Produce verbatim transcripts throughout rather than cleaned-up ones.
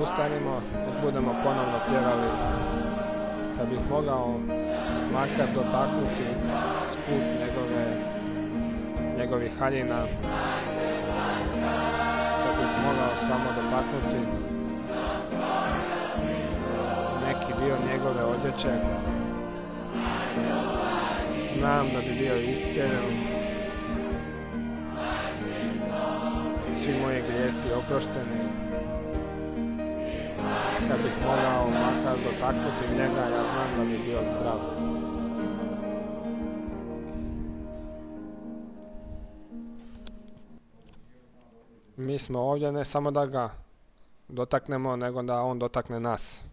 ustanimo, nek budemo ponovno pjevali. Kad bih mogao makar dotaknuti skup njegove, njegovih haljina, kad bih mogao samo dotaknuti neki dio njegove odjeće, znam da bi bio iscijeljen, svi moji grijesi oprošteni. Kad bih mogao makar dotaknuti njega, ja znam da bi bio zdrav. Mi smo ovdje ne samo da ga dotaknemo, nego da on dotakne nas.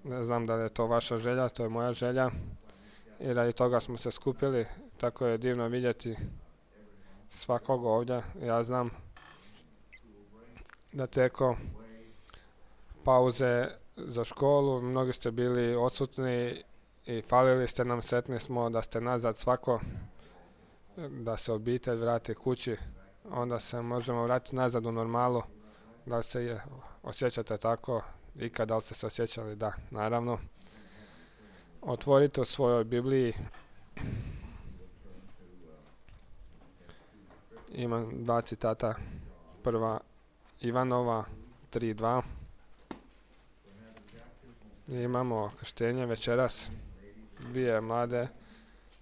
Ne znam da li je to vaša želja, to je moja želja. I radi toga smo se skupili, tako je divno vidjeti svakog ovdje. Ja znam da teko pauze za školu, mnogi ste bili odsutni i falili ste nam, sretni smo da ste nazad svako, da se obitelj vrati kući, onda se možemo vratiti nazad u normalu. Da li se osjećate tako? Ikad, da li ste se osjećali? Da, naravno. Otvorite u svojoj Bibliji. Imam dva citata. Prva Ivanova tri dva. Imamo krštenje večeras. Dvije mlade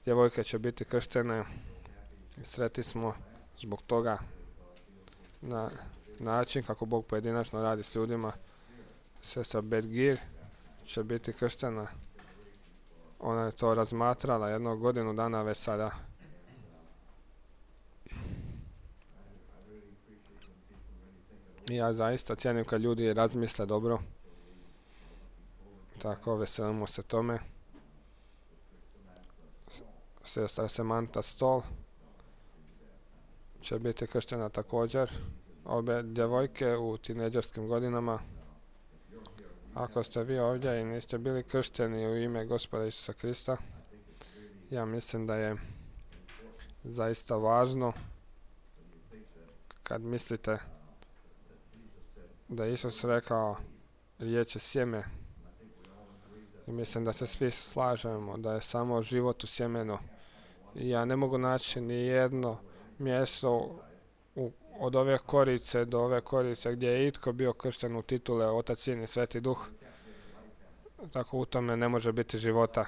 djevojke će biti krštene. Sretni smo zbog toga na način kako Bog pojedinačno radi s ljudima. Sestra Bedgir će biti krštena. Ona je to razmatrala jednu godinu dana već sada. I ja zaista cijenim kad ljudi razmisle dobro. Tako, veselimo se tome. Sestra Samantha Stoll će biti krštena također. Obe djevojke u tineđerskim godinama. Ako ste vi ovdje i niste bili kršteni u ime Gospoda Isusa Krista, ja mislim da je zaista važno kad mislite da je Isus rekao riječ je sjeme. I mislim da se svi slažemo da je samo život u sjemenu. I ja ne mogu naći ni jedno mjesto u, od ove korice do ove korice gdje je itko bio kršten u titule Otac, Sin i Sveti Duh. Tako u tome ne može biti života.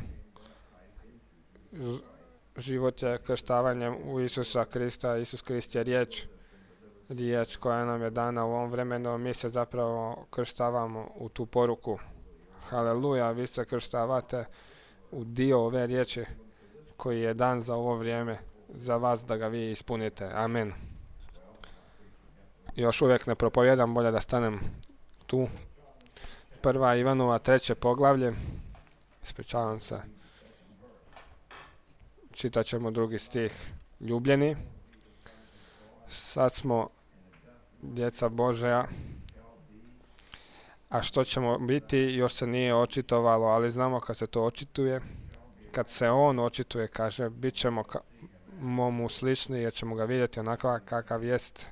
Život je krštavanjem u Isusa Krista. Isus Krist je riječ. Riječ koja nam je dana u ovom vremenu. Mi se zapravo krštavamo u tu poruku. Haleluja, vi se krštavate u dio ove riječi koji je dan za ovo vrijeme, za vas da ga vi ispunite. Amen. Još uvijek ne propovijedam, bolje da stanem tu. Prva Ivanova treće poglavlje. Ispričavam se. Čitat ćemo drugi stih. Ljubljeni, sad smo djeca Božja, a što ćemo biti još se nije očitovalo, ali znamo kad se to očituje. Kad se on očituje, kaže, bit ćemo mu slični jer ćemo ga vidjeti onako kakav jest.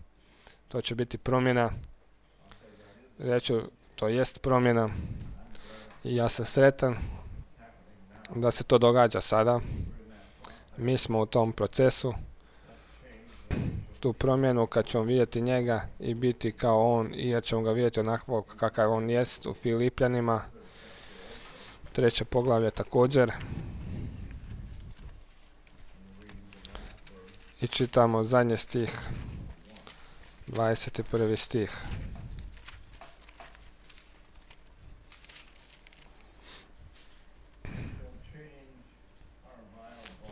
To će biti promjena. Reću, to jest promjena. I ja sam sretan da se to događa sada. Mi smo u tom procesu. Tu promjenu kad ćemo vidjeti njega i biti kao on, i jer ćemo ga vidjeti onako kakav on jest u Filipljanima. Treće poglavlje također. I čitamo zadnji stih. dvadeset prvi stih.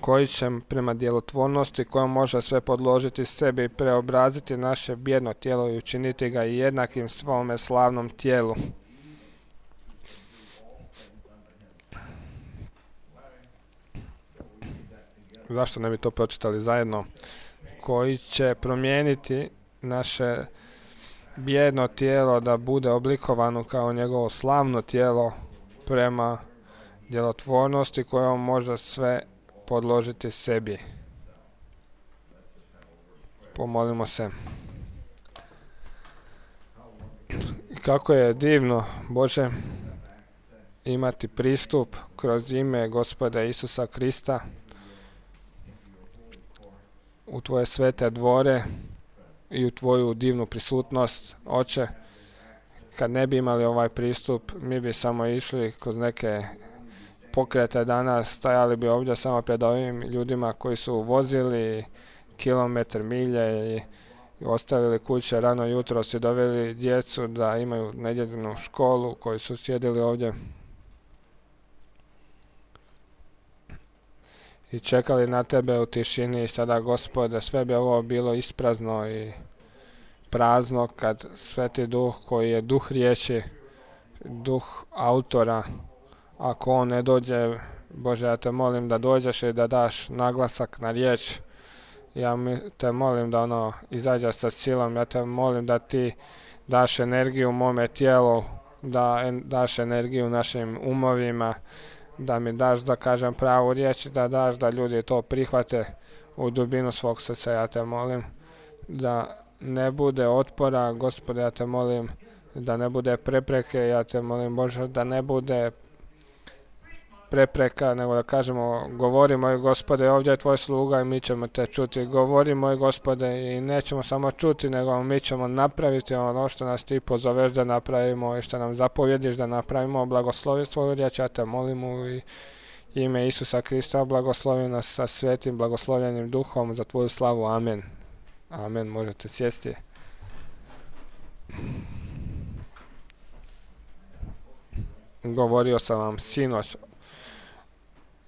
Koji će prema djelotvornosti kojom može sve podložiti sebi i preobraziti naše bijedno tijelo i učiniti ga i jednakim svome slavnom tijelu. Zašto ne bi to pročitali zajedno? Koji će promijeniti naše bijedno tijelo da bude oblikovano kao njegovo slavno tijelo prema djelotvornosti kojom može sve podložiti sebi. Pomolimo se. Kako je divno, Bože, imati pristup kroz ime Gospoda Isusa Krista u Tvoje svete dvore i u Tvoju divnu prisutnost, Oče. Kad ne bi imali ovaj pristup, mi bi samo išli kroz neke pokrete danas, stajali bi ovdje samo pred ovim ljudima koji su vozili kilometar, milje i, i ostavili kuće rano jutro, si doveli djecu da imaju nedjeljnu školu, koji su sjedili ovdje i čekali na Tebe u tišini. I sada, Gospode, sve bi ovo bilo isprazno i prazno kad Sveti Duh, koji je duh riječi, duh autora, ako on ne dođe, Bože, ja te molim da dođeš i da daš naglasak na riječ. Ja te molim da ono izađe sa silom, ja te molim da ti daš energiju mome tijelu, da en, daš energiju našim umovima, da mi daš da kažem pravu riječ, da daš da ljudi to prihvate u dubinu svog srca. Ja te molim da ne bude otpora, Gospode, ja te molim da ne bude prepreke, ja te molim, Bože, da ne bude prepreka, nego da kažemo, govori moj Gospode, ovdje je tvoj sluga i mi ćemo te čuti. Govori moj Gospode i nećemo samo čuti, nego mi ćemo napraviti ono što nas ti pozoveš da napravimo i što nam zapovjediš da napravimo. Blagoslovi svoju riječ, ja te molim u ime Isusa Krista, blagoslovi nas sa svetim blagoslovljenim duhom za tvoju slavu. Amen. Amen. Možete sjesti. Govorio sam vam sinoć,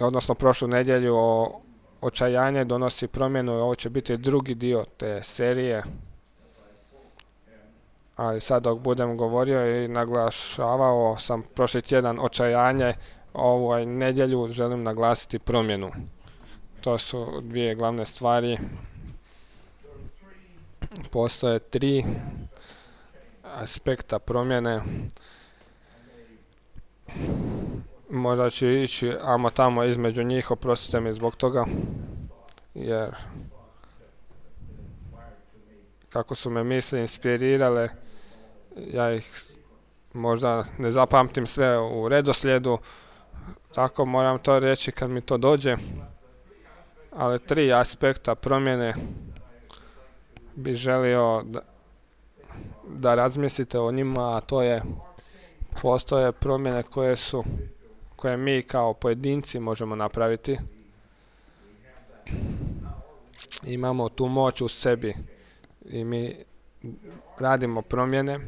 odnosno prošlu nedjelju, o očajanje donosi promjenu. Ovo će biti drugi dio te serije. Ali sad dok budem govorio i naglašavao sam prošli tjedan očajanje, ovoj nedjelju želim naglasiti promjenu. To su dvije glavne stvari. Postoje tri aspekta promjene. Možda ću ići amo tamo između njih, oprostite mi zbog toga, jer kako su me misli inspirirale, ja ih možda ne zapamtim sve u redoslijedu, tako moram to reći kad mi to dođe. Ali tri aspekta promjene bi želio da, da razmislite o njima, a to je, postoje promjene koje su koje mi kao pojedinci možemo napraviti. Imamo tu moć u sebi i mi radimo promjene.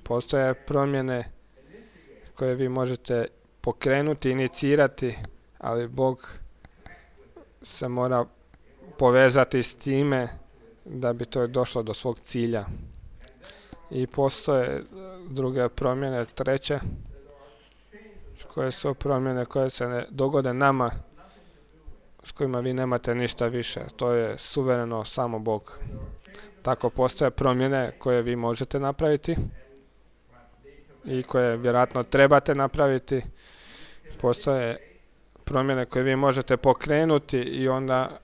Postoje promjene koje vi možete pokrenuti, inicirati, ali Bog se mora povezati s time da bi to došlo do svog cilja. I postoje druge promjene, treće, koje su promjene koje se ne dogode nama, s kojima vi nemate ništa više. To je suvereno samo Bog. Tako postoje promjene koje vi možete napraviti i koje vjerojatno trebate napraviti. Postoje promjene koje vi možete pokrenuti i onda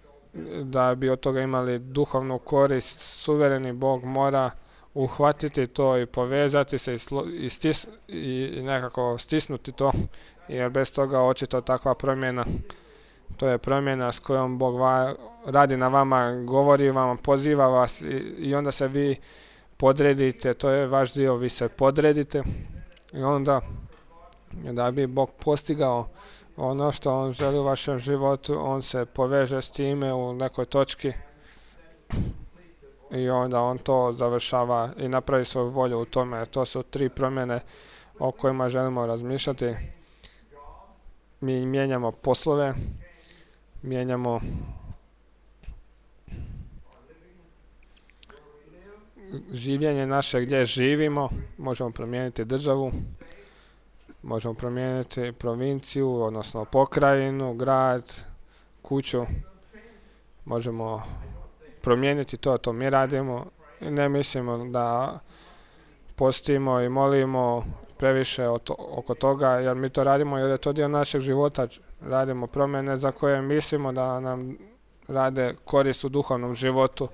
da bi od toga imali duhovnu korist, suvereni Bog mora uhvatiti to i povezati se i, slo, i, stis, i, i nekako stisnuti to, jer bez toga očito takva promjena, to je promjena s kojom Bog va, radi na vama, govori vam, poziva vas i, i onda se vi podredite, to je vaš dio, vi se podredite i onda da bi Bog postigao ono što on želi u vašem životu, on se poveže s time u nekoj točki i onda on to završava i napravi svoju volju u tome. To su tri promjene o kojima želimo razmišljati. Mi mijenjamo poslove, mijenjamo življenje naše gdje živimo, možemo promijeniti državu, možemo promijeniti provinciju, odnosno pokrajinu, grad, kuću, možemo promijeniti to, to mi radimo. Ne mislimo da postimo i molimo previše to, oko toga, jer mi to radimo jer je to dio našeg života. Radimo promjene za koje mislimo da nam rade korist u duhovnom životu.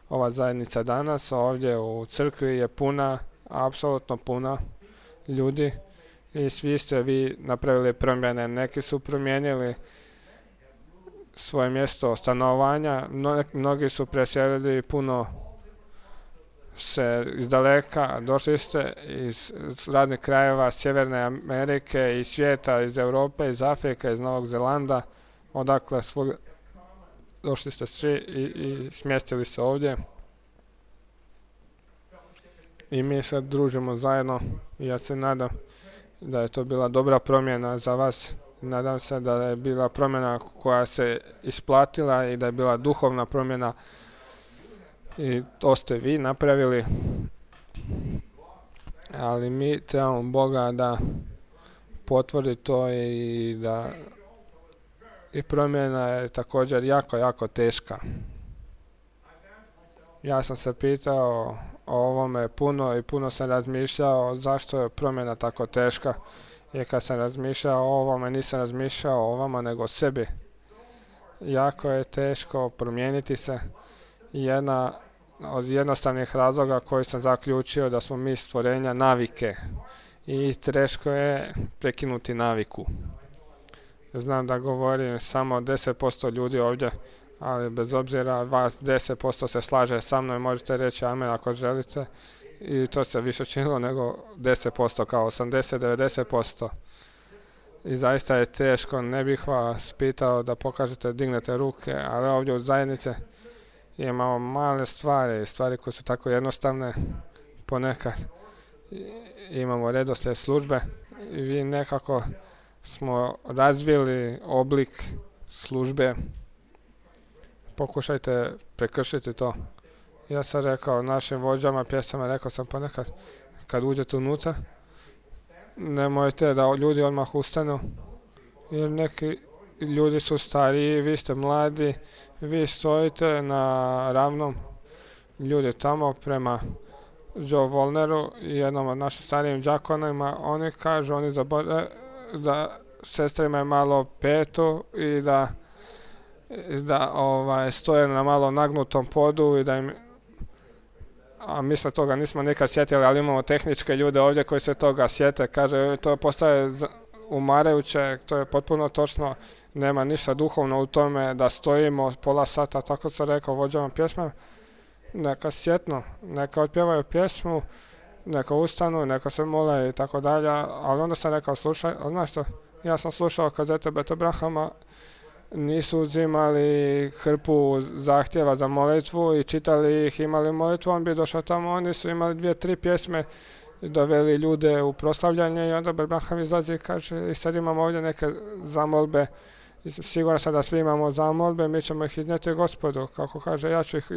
Ova zajednica danas ovdje u crkvi je puna, apsolutno puna ljudi i svi ste vi napravili promjene. Neki su promijenili svoje mjesto stanovanja, mnogi su preselili puno se iz daleka, došli ste iz raznih krajeva Sjeverne Amerike i svijeta, iz Europe, iz Afrike, iz Novog Zelanda, odakle svog došli ste svi i, i smjestili se ovdje. I mi se družimo zajedno i ja se nadam da je to bila dobra promjena za vas. Nadam se da je bila promjena koja se isplatila i da je bila duhovna promjena i to ste vi napravili. Ali mi trebamo Boga da potvrdi to i da i promjena je također jako, jako teška. Ja sam se pitao o ovome puno i puno sam razmišljao zašto je promjena tako teška. I kad sam razmišljao o ovome, nisam razmišljao o vama nego o sebi. Jako je teško promijeniti se. Jedna od jednostavnih razloga koji sam zaključio da smo mi stvorenja navike. I teško je prekinuti naviku. Znam da govorim samo deset posto ljudi ovdje, ali bez obzira vas deset posto se slaže sa mnom i možete reći amen ako želite. I to se više činilo nego deset posto, kao osamdeset do devedeset posto. I zaista je teško, ne bih vas pitao da pokažete, dignete ruke, ali ovdje u zajednici imamo male stvari, stvari koje su tako jednostavne ponekad. Imamo redoslijed službe i vi nekako smo razvili oblik službe. Pokušajte prekršiti to. Ja sam rekao našim vođama pjesama, rekao sam ponekad, kad uđete unutra, nemojte da ljudi odmah ustanu, jer neki ljudi su stariji, vi ste mladi, vi stojite na ravnom, ljudi tamo prema Joe Volneru i jednom od naših starijim džakonima, oni kažu, oni zaborave da sestre imaju malo petu i da, da ovaj, stoje na malo nagnutom podu i da im, a mi se toga nismo nikad sjetili, ali imamo tehničke ljude ovdje koji se toga sjete, kaže, to postaje umarajuće, to je potpuno točno, nema ništa duhovno u tome da stojimo pola sata, tako sam rekao vođama pjesme, neka sjetno, neka otpjevaju pjesmu, neka ustanu, neka se mole i tako dalje, ali onda sam rekao, slušaj, znaš što, ja sam slušao kazete Beta Brahama, nisu uzimali hrpu zahtjeva za molitvu i čitali ih, imali molitvu, on bi došao tamo, oni su imali dvije, tri pjesme, doveli ljude u proslavljanje i onda Braham izlazi i kaže, i sad imamo ovdje neke zamolbe, siguran sam da svi imamo zamolbe, mi ćemo ih iznijeti Gospodu, kako kaže, ja ću ih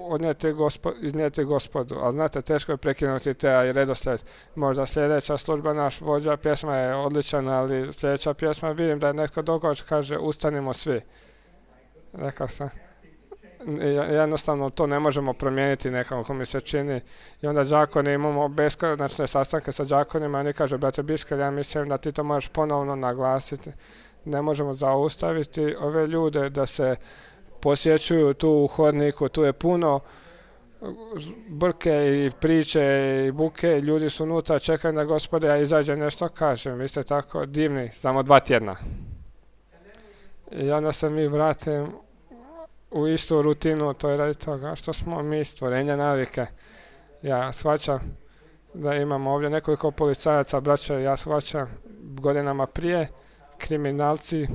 odnijeti gospo, iznijeti Gospodu, a znate, teško je prekinuti te redoslijed, možda sljedeća služba, naš vođa pjesma je odličan, ali sljedeća pjesma, vidim da je netko događa, kaže, ustanimo svi. Rekao sam, jednostavno to ne možemo promijeniti nekako mi se čini i onda džakoni imamo beskonačne sastanke sa džakonima, oni kažu, brate Biškel, ja mislim da ti to možeš ponovno naglasiti. Ne možemo zaustaviti ove ljude da se posjećuju tu u hodniku, tu je puno brke i priče i buke, ljudi su unutra, čekaju da Gospode, ja izađem nešto kažem, vi ste tako divni, samo dva tjedna. I onda se mi vratim u istu rutinu, to je radi toga što smo mi stvorenja navike. Ja shvaćam da imamo ovdje nekoliko policajaca, braća, ja shvaćam godinama prije, kriminalci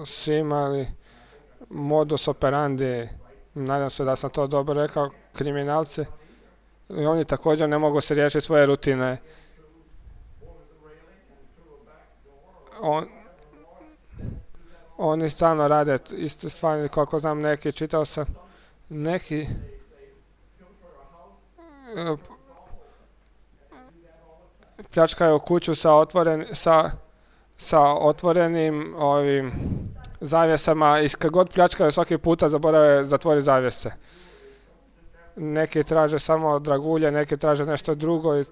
su imali modus operandi, nadam se da sam to dobro rekao, kriminalci, i oni također ne mogu se riješiti svoje rutine. On, oni stalno rade iste stvari, koliko znam neki, čitao sam, neki pljačkaju kuću sa otvoren, sa sa otvorenim ovim zavjesama i kad god pljačkaju svaki puta zaborave zatvori zavjese. Neki traže samo dragulje, neki traže nešto drugo i,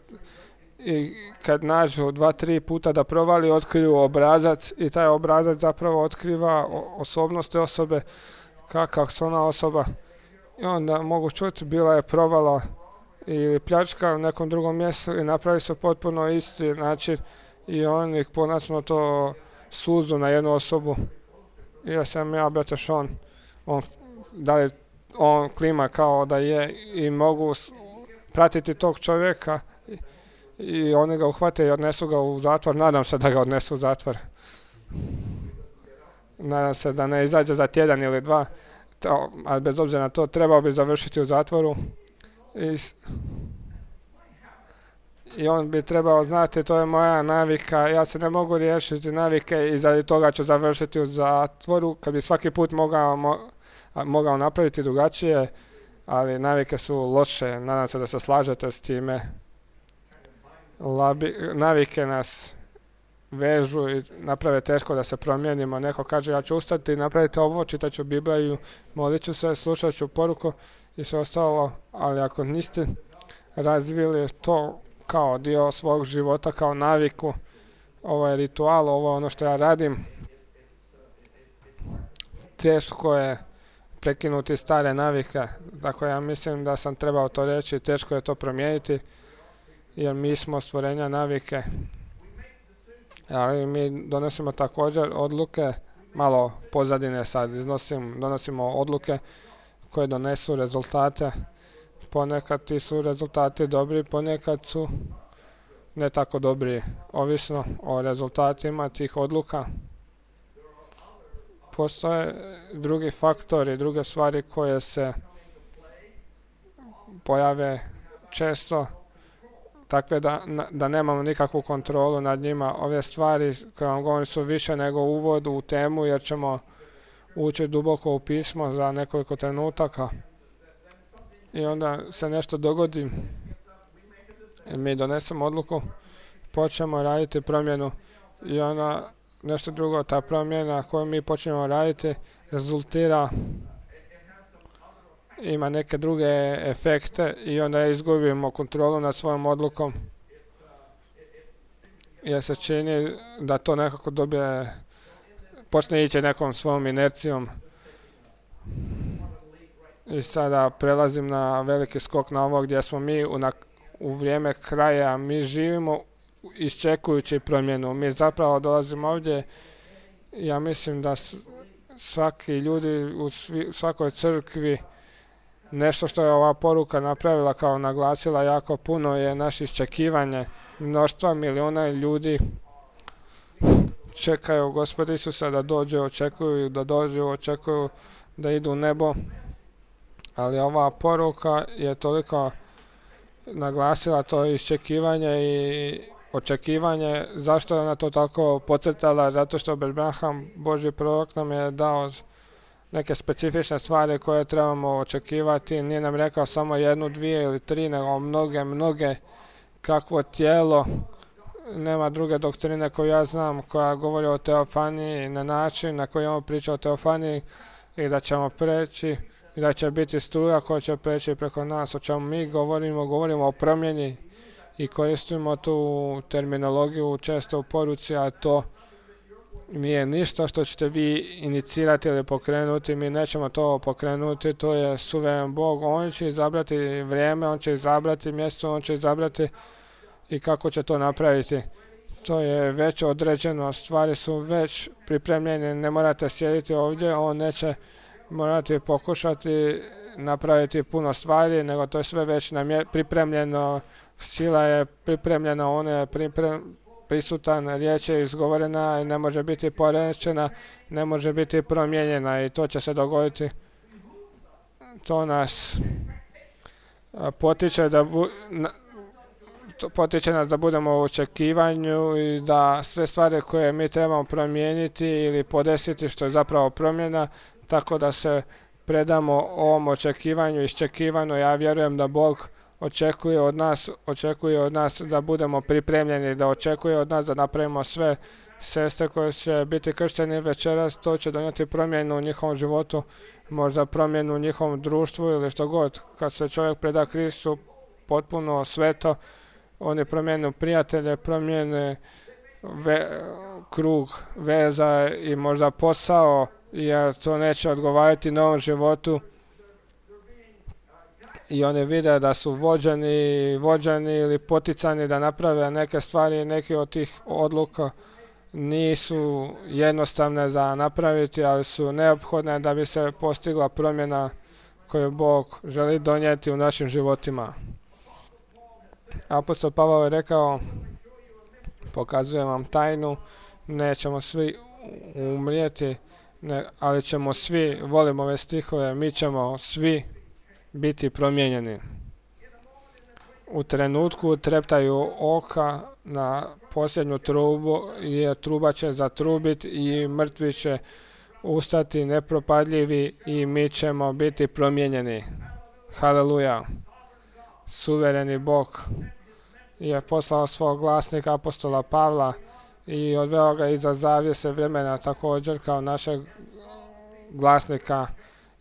i kad nađu dva, tri puta da provali, otkriju obrazac i taj obrazac zapravo otkriva osobnost te osobe, kakav su ona osoba. I onda mogu čuti, bila je provala ili pljačka u nekom drugom mjestu i napravi se potpuno isti način i oni konačno to suzu na jednu osobu. I ja sam ja, brate Sean, on, da li on klima kao da je i mogu pratiti tog čovjeka i, i oni ga uhvate i odnesu ga u zatvor. Nadam se da ga odnesu u zatvor. Nadam se da ne izađe za tjedan ili dva, to, ali bez obzira na to trebao bi završiti u zatvoru. I, I on bi trebao znati, to je moja navika, ja se ne mogu riješiti navike i zbog toga ću završiti u zatvoru, kad bi svaki put mogao, mo, mogao napraviti drugačije, ali navike su loše, nadam se da se slažete s time. Labi, navike nas vežu i naprave teško da se promijenimo. Neko kaže ja ću ustati, napraviti ovo, čitat ću Bibliju, molit ću se, slušat ću poruku i sve ostalo, ali ako niste razvili to kao dio svog života, kao naviku, ovo je ritual, ovo je ono što ja radim, teško je prekinuti stare navike, tako ja mislim da sam trebao to reći, teško je to promijeniti, jer mi smo stvorenja navike, ali mi donosimo također odluke, malo pozadine sad iznosim, donosimo odluke koje donesu rezultate. Ponekad ti su rezultati dobri, ponekad su ne tako dobri, ovisno o rezultatima tih odluka. Postoje drugi faktori, druge stvari koje se pojave često, takve da, da nemamo nikakvu kontrolu nad njima. Ove stvari koje vam govorim su više nego uvod u temu, jer ćemo ući duboko u pismo za nekoliko trenutaka. I onda se nešto dogodi, mi donesemo odluku, počnemo raditi promjenu i ona nešto drugo, ta promjena koju mi počnemo raditi rezultira, ima neke druge efekte i onda izgubimo kontrolu nad svojom odlukom. Jer se čini da to nekako dobije, počne ići nekom svojom inercijom. I sada prelazim na veliki skok na ovo gdje smo mi u, na, u vrijeme kraja, mi živimo iščekujući promjenu. Mi zapravo dolazimo ovdje, ja mislim da svaki ljudi u svi, svakoj crkvi, nešto što je ova poruka napravila, kao naglasila jako puno, je naše iščekivanje. Mnoštva miliona ljudi čekaju Gospoda Isusa da dođe, očekuju da dođu, očekuju da idu u nebo. Ali ova poruka je toliko naglasila to iščekivanje i očekivanje. Zašto je ona to tako podcrtala? Zato što Abraham, Božji prorok, nam je dao neke specifične stvari koje trebamo očekivati. Nije nam rekao samo jednu, dvije ili tri, nego mnoge, mnoge. Kakvo tijelo, nema druge doktrine koju ja znam koja govori o teofaniji na način na koji on priča o teofaniji i da ćemo preći i da će biti struja koja će preći preko nas. O čemu mi govorimo, govorimo o promjeni i koristimo tu terminologiju često u poruci, a to nije ništa što ćete vi inicirati ili pokrenuti, mi nećemo to pokrenuti, to je suveren Bog, on će izabrati vrijeme, on će izabrati mjesto, on će izabrati i kako će to napraviti. To je već određeno, stvari su već pripremljene, ne morate sjediti ovdje, on neće morati pokušati napraviti puno stvari, nego to je sve već pripremljeno, sila je pripremljena, on je pripremljena, prisutan, riječ je izgovorena i ne može biti porečena, ne može biti promijenjena i to će se dogoditi. To nas potiče da, bu, na, to potiče nas da budemo u očekivanju i da sve stvari koje mi trebamo promijeniti ili podesiti, što je zapravo promjena, tako da se predamo ovom očekivanju, iščekivanju. Ja vjerujem da Bog očekuje od nas, očekuje od nas da budemo pripremljeni, da očekuje od nas da napravimo sve. Sestre koje će biti kršteni večeras, to će donijeti promjenu u njihovom životu, možda promjenu u njihovom društvu ili što god. Kad se čovjek preda Kristu potpuno sveto, oni promijenu prijatelje, promijene ve, krug veza i možda posao, jer to neće odgovarati novom životu. i oni vide da su vođeni, vođeni ili poticani da naprave neke stvari, neke od tih odluka nisu jednostavne za napraviti, ali su neophodne da bi se postigla promjena koju Bog želi donijeti u našim životima. Apostol Pavao je rekao, pokazujem vam tajnu, nećemo svi umrijeti, ne, ali ćemo svi, volimo ove stihove, mi ćemo svi biti promijenjeni. U trenutku treptaju oka na posljednju trubu, jer truba će zatrubiti i mrtvi će ustati nepropadljivi i mi ćemo biti promijenjeni. Haleluja! Suvereni Bog je poslao svog glasnika apostola Pavla i odveo ga iza zavjese vremena također kao našeg glasnika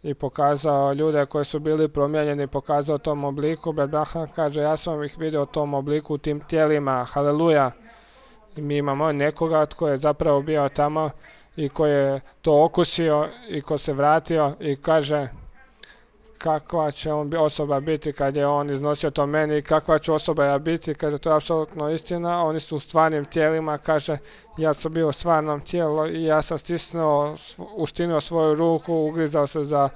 i pokazao ljude koji su bili promijenjeni, pokazao tom obliku. Brat Branham kaže, ja sam ih vidio u tom obliku, u tim tijelima. Haleluja! I mi imamo nekoga tko je zapravo bio tamo i koji je to okusio i ko se vratio i kaže kakva će on osoba biti kad je on iznosio to meni i kakva će osoba ja biti, kaže to je apsolutno istina, oni su u stvarnim tijelima, kaže ja sam bio u stvarnom tijelu i ja sam stisnuo, uštinio svoju ruku, ugrizao se za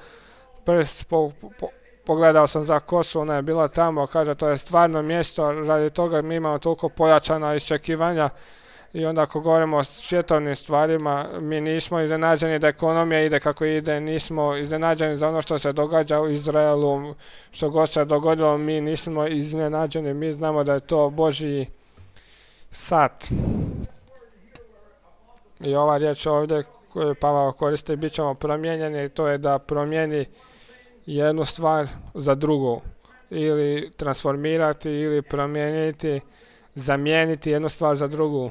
prst, po, po, pogledao sam za kosu, ona je bila tamo, kaže to je stvarno mjesto, radi toga mi imamo toliko pojačana iščekivanja. I onda ako govorimo o svjetovnim stvarima, mi nismo iznenađeni da ekonomija ide kako ide, nismo iznenađeni za ono što se događa u Izraelu, što god se dogodilo, mi nismo iznenađeni, mi znamo da je to Božji sat. I ova riječ ovdje koju Pavao koristi, bit ćemo promijenjeni, to je da promijeni jednu stvar za drugu, ili transformirati, ili promijeniti, zamijeniti jednu stvar za drugu.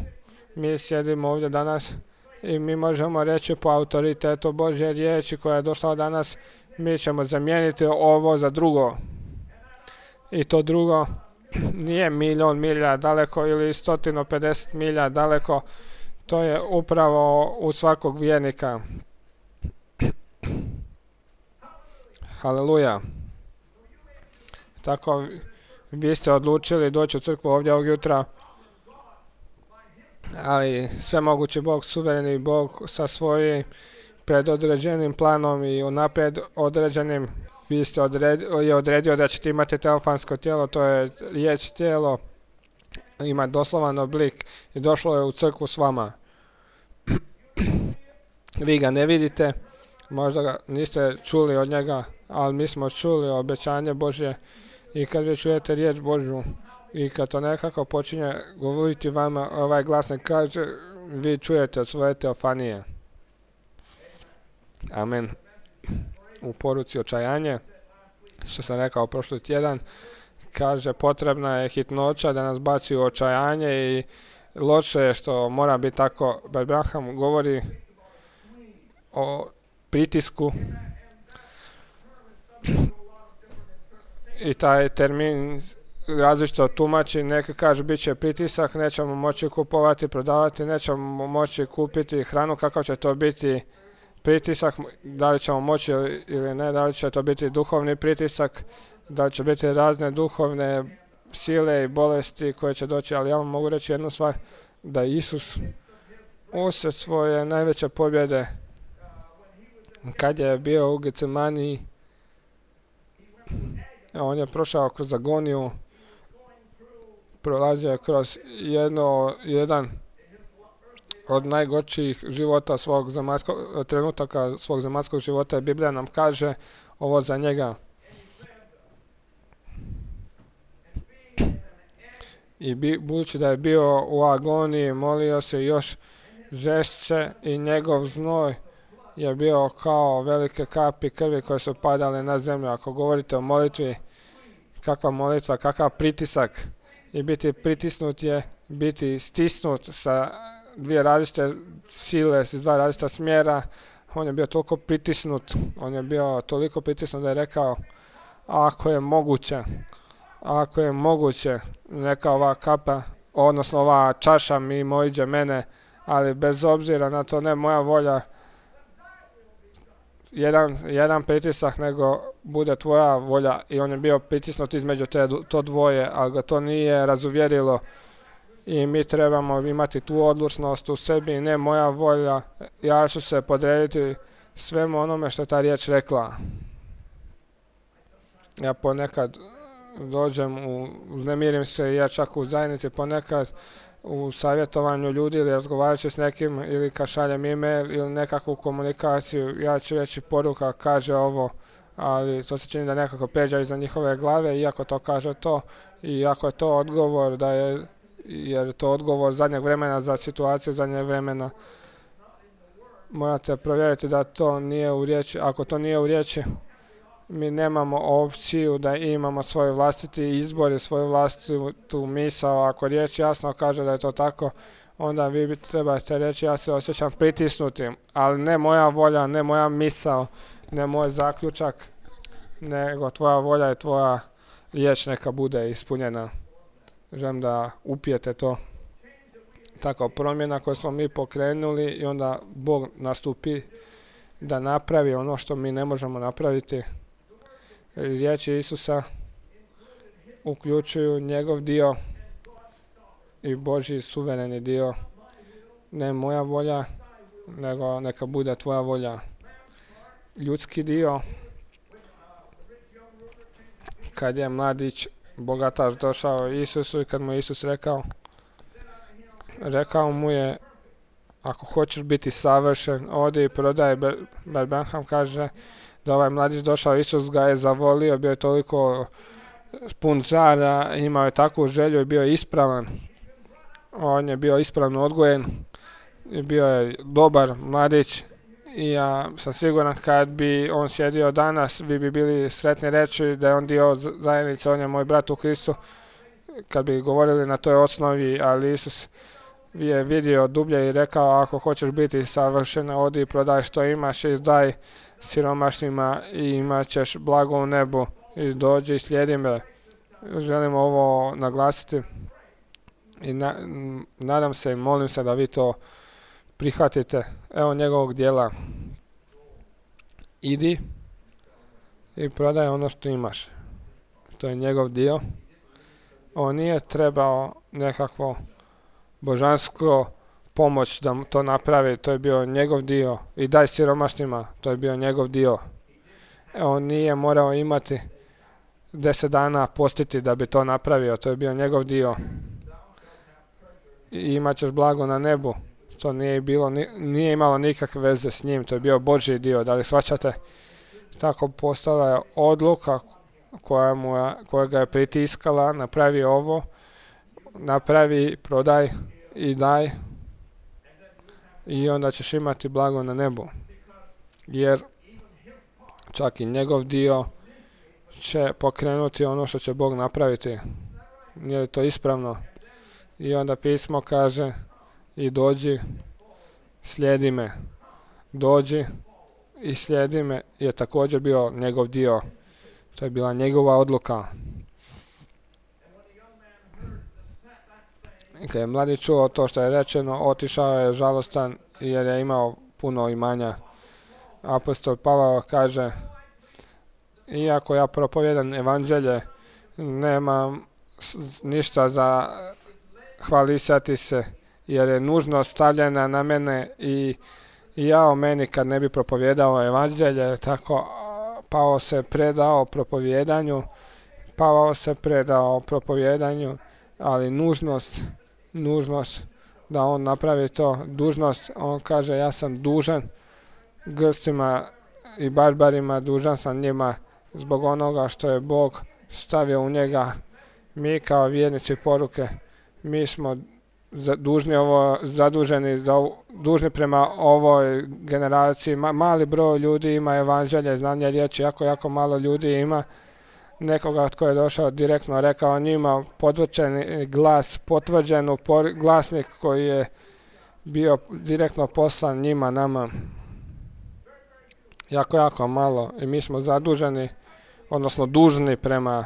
Mi sjedimo ovdje danas i mi možemo reći po autoritetu Božje riječi koja je došla danas, mi ćemo zamijeniti ovo za drugo. I to drugo nije milion milja daleko ili sto pedeset milja daleko, to je upravo u svakog vjernika. Haleluja. Tako vi ste odlučili doći u crkvu ovdje ovog jutra, ali svemogući Bog, suvereni Bog sa svojim predodređenim planom i unaprijed određenim, vi ste odredio, je odredio da ćete imati teofansko tijelo, to je riječ tijelo, ima doslovan oblik i došlo je u crkvu s vama. Vi ga ne vidite, možda ga niste čuli od njega, ali mi smo čuli obećanje Božje i kad vi čujete riječ Božju i kad to nekako počinje govoriti vama, ovaj glasnik kaže, vi čujete svoje teofanije. Amen. U poruci očajanje, što sam rekao prošli tjedan, kaže potrebna je hitnoća da nas baci u očajanje i loše je što mora biti tako. Abraham govori o pritisku i taj termin različito tumači, neki kaže bit će pritisak, nećemo moći kupovati, prodavati, nećemo moći kupiti hranu, kakav će to biti pritisak, da li ćemo moći ili ne, da li će to biti duhovni pritisak, da li će biti razne duhovne sile i bolesti koje će doći, ali ja vam mogu reći jednu stvar, da Isus usred svoje najveće pobjede, kad je bio u Getsemaniji, on je prošao kroz agoniju, prolazio je kroz jedno, jedan od najgorčijih života svog zemaljskog, trenutaka svog zemaljskog života, i Biblija nam kaže ovo za njega. I bi, budući da je bio u agoniji, molio se još žešće i njegov znoj je bio kao velike kapi krvi koje su padale na zemlju. Ako govorite o molitvi, kakva molitva, kakav pritisak, i biti pritisnut je biti stisnut sa dvije različite sile, s dva različita smjera. On je bio toliko pritisnut, on je bio toliko pritisnut da je rekao, ako je moguće, ako je moguće, neka ova kapa, odnosno ova čaša mimo iđe mene, ali bez obzira na to, ne moja volja, jedan, jedan pritisak, nego bude tvoja volja. I on je bio pritisnut između te, to dvoje, ali ga to nije razuvjerilo. I mi trebamo imati tu odlučnost u sebi, ne moja volja, ja ću se podrediti svemu onome što je ta riječ rekla. Ja ponekad dođem, u, uznemirim se i ja čak u zajednici ponekad u savjetovanju ljudi ili razgovarajući s nekim ili kad šaljem e-mail ili nekakvu komunikaciju, ja ću reći poruka kaže ovo, ali to se čini da nekako pređe iza njihove glave, iako to kaže to, i iako je to odgovor, da je, jer je to odgovor zadnjeg vremena za situaciju zadnjeg vremena, morate provjeriti da to nije u riječi. Ako to nije u riječi, mi nemamo opciju da imamo svoj vlastiti izbor i svoju vlastitu misao. Ako riječ jasno kaže da je to tako, onda vi bi trebate reći ja se osjećam pritisnutim, ali ne moja volja, ne moja misao, ne moj zaključak, nego tvoja volja i tvoja riječ neka bude ispunjena. Želim da upijete to. Tako promjena koju smo mi pokrenuli i onda Bog nastupi da napravi ono što mi ne možemo napraviti. Riječi Isusa uključuju njegov dio i Božji suvereni dio. Ne moja volja, nego neka bude tvoja volja. Ljudski dio, kad je mladić bogataš došao Isusu i kad mu je Isus rekao, rekao mu je, ako hoćeš biti savršen, odi i prodaj. Bert Branham kaže da ovaj mladić došao, Isus ga je zavolio, bio je toliko pun žara, imao je takvu želju i bio je ispravan. On je bio ispravno odgojen i bio je dobar mladić i ja sam siguran kad bi on sjedio danas, vi bi bili sretni reći da je on dio zajednice, on je moj brat u Kristu, kad bi govorili na toj osnovi, ali Isus je vidio dublje i rekao, ako hoćeš biti savršen, odi i prodaj što imaš i daj siromašnima i imat ćeš blago u nebu i dođi i slijedi me. Želim ovo naglasiti i na, nadam se i molim se da vi to prihvatite. Evo njegovog dijela. Idi i prodaj ono što imaš. To je njegov dio. On nije trebao nekakvo božansko pomoć da to napravi, to je bio njegov dio. I daj siromašnima, to je bio njegov dio. On nije morao imati deset dana postiti da bi to napravio, to je bio njegov dio. I imat ćeš blago na nebu, to nije, bilo, nije imalo nikakve veze s njim, to je bio Božji dio, da li shvaćate? Tako postala je odluka koja, mu je, koja ga je pritiskala, napravi ovo, napravi, prodaj i daj i onda ćeš imati blago na nebu. Jer čak i njegov dio će pokrenuti ono što će Bog napraviti. Nije li to ispravno? I onda pismo kaže i dođi, slijedi me. Dođi i slijedi me je također bio njegov dio. To je bila njegova odluka. Kad je mladi čuo to što je rečeno, otišao je žalostan jer je imao puno imanja. Apostol Pavao kaže, iako ja propovijedam evanđelje, nemam ništa za hvalisati se, jer je nužnost stavljena na mene i, i ja o meni kad ne bi propovijedao evanđelje, tako Pavao se predao propovijedanju, Pavao se predao propovijedanju, ali nužnost, nužnost da on napravi to, dužnost, on kaže ja sam dužan Grcima i barbarima, dužan sam njima zbog onoga što je Bog stavio u njega. Mi kao vjernici poruke, mi smo dužni ovo, zaduženi, za, dužni prema ovoj generaciji. Ma, mali broj ljudi ima evanđelje, znanje riječi, jako, jako malo ljudi ima nekoga tko je došao direktno rekao njima, potvrđeni glas, potvrđen glasnik koji je bio direktno poslan njima, nama. Jako, jako malo i mi smo zaduženi, odnosno dužni prema,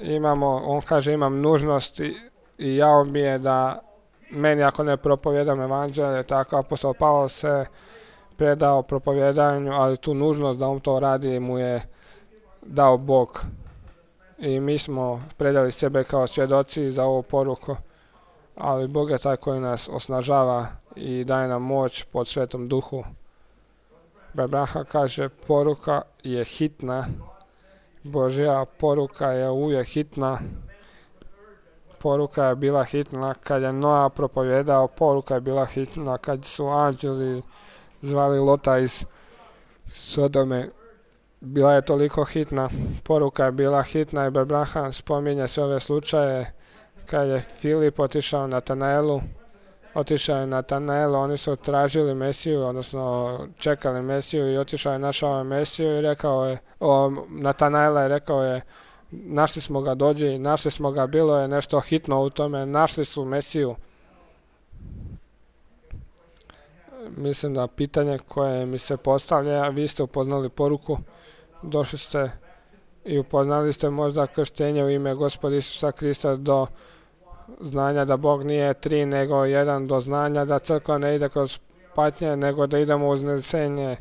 imamo, on kaže imam nužnost i, i jao mi je da meni ako ne propovijedam evanđelje, tako apostol Pavao se predao propovjedanju, ali tu nužnost da on to radi mu je dao Bog. I mi smo predali sebe kao svjedoci za ovu poruku, ali Bog je taj koji nas osnažava i daje nam moć pod Svetom Duhu. Branham kaže, poruka je hitna, Božja poruka je uvijek hitna. Poruka je bila hitna kad je Noa propovjedao, poruka je bila hitna kad su anđeli zvali Lota iz Sodome. Bila je toliko hitna, poruka je bila hitna i Branham spominje sve ove slučaje kad je Filip otišao Natanaelu, otišao je Natanaelu, oni su tražili Mesiju, odnosno čekali Mesiju i otišao je, našao Mesiju i rekao je, o, Natanaela je rekao je, našli smo ga, dođi, našli smo ga, bilo je nešto hitno u tome, našli su Mesiju. Mislim da pitanje koje mi se postavlja, vi ste upoznali poruku, došli ste i upoznali ste možda krštenje u ime Gospoda Isusa Krista do znanja da Bog nije tri nego jedan, do znanja da crkva ne ide kroz patnje nego da idemo uz uznesenje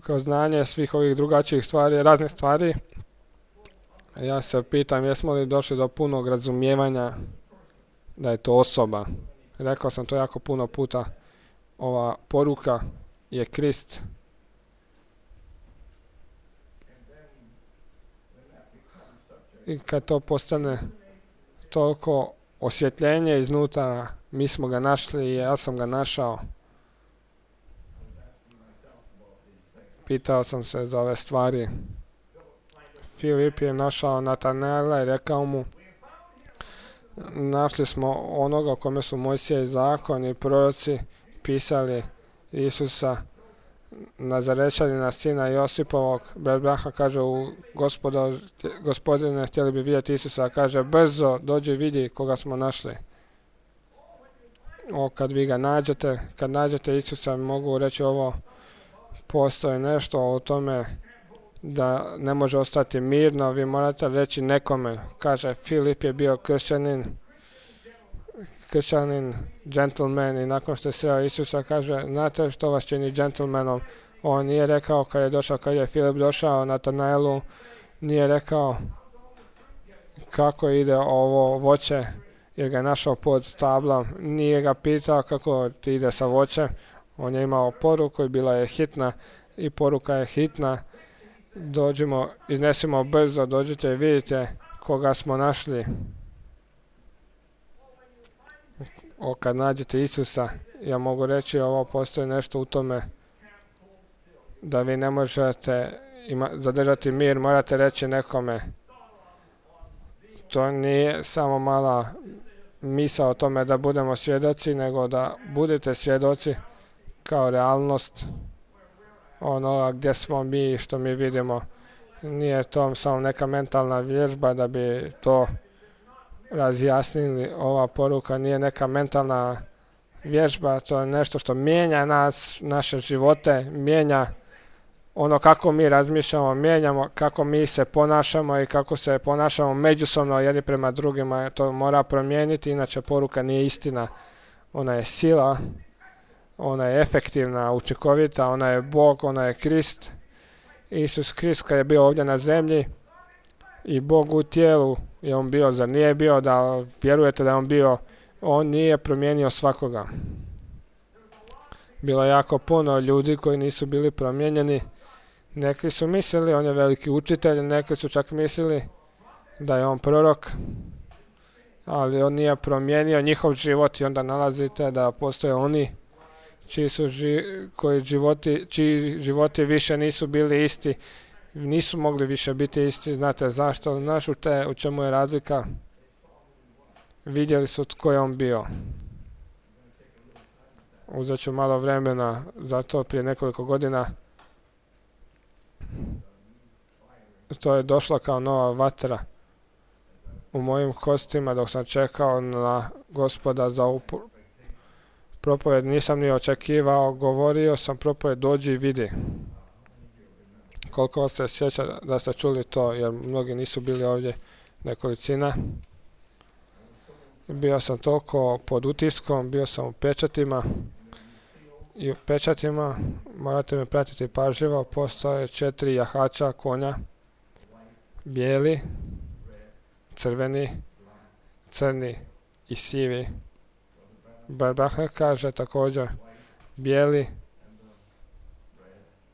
kroz znanje svih ovih drugačijih stvari, raznih stvari. Ja se pitam jesmo li došli do punog razumijevanja da je to osoba. Rekao sam to jako puno puta. Ova poruka je Krist. I kad to postane toliko osvjetljenje iznutra, mi smo ga našli i ja sam ga našao. Pitao sam se za ove stvari. Filip je našao Natanaela i rekao mu, našli smo onoga kome su Mojsije i zakon i proroci pisali, Isusa, Nazarečanina, sina Josipovog. Brat Branham kaže, u gospodo, gospodine, htjeli bi vidjeti Isusa, kaže, brzo dođi vidi koga smo našli. O, kad vi ga nađete, kad nađete Isusa, mogu reći ovo, postoji nešto o tome da ne može ostati mirno, vi morate reći nekome. Kaže, Filip je bio kršćanin, kršćanin, džentlmen i nakon što je sreo Isusa kaže, znate što vas čini džentlmenom? On nije rekao kad je došao, kad je Filip došao Natanaelu, nije rekao kako ide ovo voće, jer ga je našao pod tablom, nije ga pitao kako ti ide sa voćem, on je imao poruku i bila je hitna i poruka je hitna. Dođimo, iznesimo brzo, dođite i vidite koga smo našli. O, kad nađete Isusa, ja mogu reći ovo, postoji nešto u tome da vi ne možete ima, zadržati mir, morate reći nekome. To nije samo mala misao o tome da budemo svjedoci, nego da budete svjedoci kao realnost onoga gdje smo mi i što mi vidimo. Nije to samo neka mentalna vježba da bi to razjasnili. Ova poruka nije neka mentalna vježba, to je nešto što mijenja nas, naše živote, mijenja ono kako mi razmišljamo, mijenjamo kako mi se ponašamo i kako se ponašamo međusobno jedni prema drugima. To mora promijeniti, inače poruka nije istina. Ona je sila, ona je efektivna, učinkovita, ona je Bog, ona je Krist. Isus Krist kad je bio ovdje na zemlji i Bog u tijelu je on bio, zar nije bio da vjerujete da je on bio, on nije promijenio svakoga. Bilo je jako puno ljudi koji nisu bili promijenjeni. Neki su mislili, on je veliki učitelj, neki su čak mislili da je on prorok, ali on nije promijenio njihov život i onda nalazite da postoje oni čiji su ži, koji životi, čiji životi više nisu bili isti, nisu mogli više biti isti. Znate zašto? Znaš u, te, u čemu je razlika? Vidjeli su tko je on bio. Uzet ću malo vremena za to prije nekoliko godina. To je došlo kao nova vatra u mojim kostima dok sam čekao na Gospoda za ovu propovjed. Nisam ni očekivao, govorio sam propovjed, dođi i vidi. Koliko vas se sjeća da ste čuli to, jer mnogi nisu bili ovdje, nekolicina. Bio sam toliko pod utiskom, bio sam u pečatima I u pečatima, morate me pratiti pažljivo, postoje četiri jahača konja, bijeli, crveni, crni i sivi. Barbahar kaže također bijeli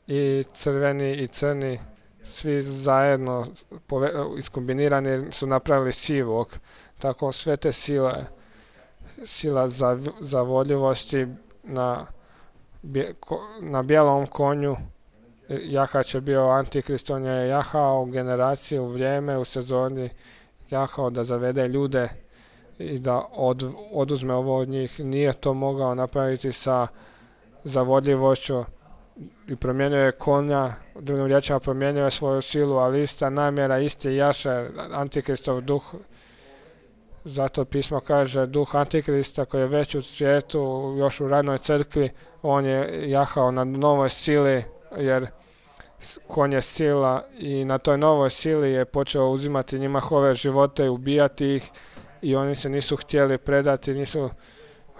i crveni i crni, svi zajedno iskombinirani su napravili sivog. Tako sve te sile, sila za, zavodljivosti na, na bijelom konju, jahač je bio Antikrist, on je jahao u generaciji, u vrijeme, u sezoni, jahao da zavede ljude i da od, oduzme ovo od njih. Nije to mogao napraviti sa zavodljivošću i promijenio je konja, drugim riječima promijenio je svoju silu, ali ista namjera, isti jašer, Antikristov duh. Zato pismo kaže duh Antikrista koji je već u svijetu, još u ranoj crkvi, on je jahao na novoj sili, jer konj je sila i na toj novoj sili je počeo uzimati njihove živote i ubijati ih i oni se nisu htjeli predati, nisu,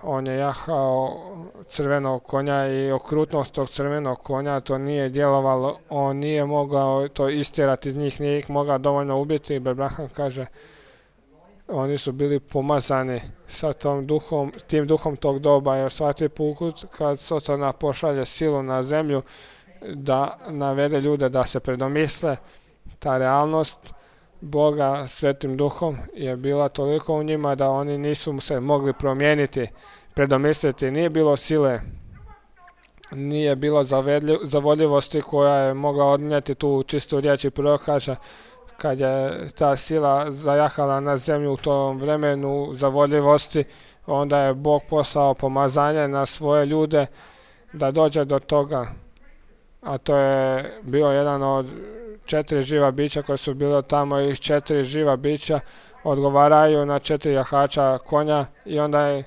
on je jahao crvenog konja i okrutnost tog crvenog konja, to nije djelovalo, on nije mogao to istjerati iz njih, nije ih mogao dovoljno ubiti. Abraham kaže, oni su bili pomazani sa tom duhom, tim duhom tog doba, jer svaki put kad Sotona pošalje silu na zemlju da navede ljude da se predomisle, ta realnost Boga svetim duhom je bila toliko u njima da oni nisu se mogli promijeniti, predomisliti. Nije bilo sile, nije bilo zavodljivosti koja je mogla odnijeti tu čistu riječ. I prvo kaže, kad je ta sila zajahala na zemlju u tom vremenu zavodljivosti, onda je Bog poslao pomazanje na svoje ljude da dođe do toga. A to je bio jedan od četiri živa bića koje su bile tamo i četiri živa bića odgovaraju na četiri jahača konja i onda je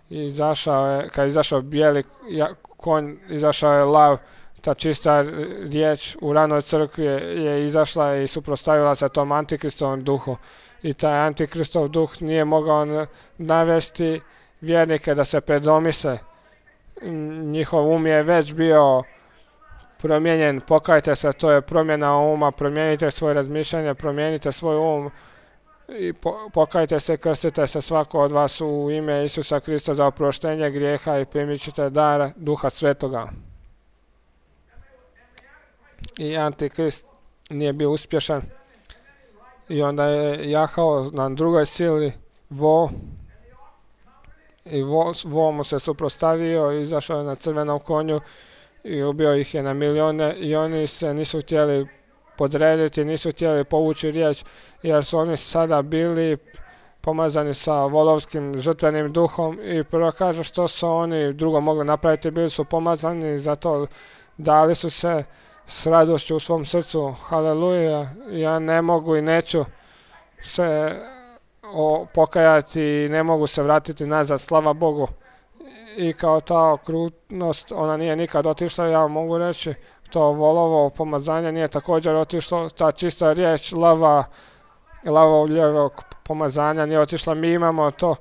izašao, je, kad je izašao bijeli konj, izašao je lav, ta čista riječ u ranoj crkvi je izašla i suprotstavila se tom Antikristovom duhu. I taj Antikristov duh nije mogao navesti vjernike da se predomisle. Njihov um je već bio promijenjen, pokajte se, to je promjena uma, promijenite svoje razmišljanje, promijenite svoj um i po, pokajte se, krstite se svako od vas u ime Isusa Krista za oproštenje grijeha i primit ćete dar Duha Svetoga. I Antikrist nije bio uspješan i onda je jahao na drugoj sili vo i vo, vo mu se suprotstavio, izašao je na crvenom konju i ubio ih je na milijone i oni se nisu htjeli podrediti, nisu htjeli povući riječ, jer su oni sada bili pomazani sa volovskim žrtvenim duhom i prvo kaže što su oni drugo mogli napraviti, bili su pomazani, zato dali su se s radošću u svom srcu. Haleluja, ja ne mogu i neću se o, pokajati i ne mogu se vratiti nazad, slava Bogu. I kao ta okrutnost, ona nije nikad otišla, ja mogu reći, to volovo pomazanje nije također otišlo, ta čista riječ lava, lavovljevog pomazanja nije otišla. Mi imamo to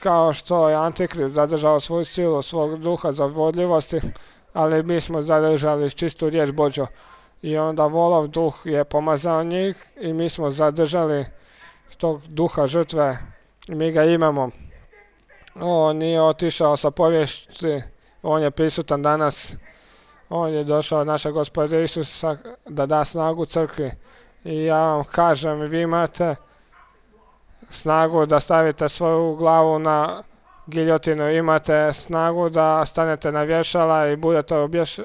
kao što je Antikrist zadržao svoju silu, svog duha zavodljivosti, ali mi smo zadržali čistu riječ Božju. I onda volov duh je pomazao njih i mi smo zadržali tog duha žrtve i mi ga imamo. On nije otišao sa povijesti, on je prisutan danas. On je došao od našeg Gospoda Isusa da da snagu crkvi. I ja vam kažem, vi imate snagu da stavite svoju glavu na giljotinu, imate snagu da stanete na vješala i budete obješ...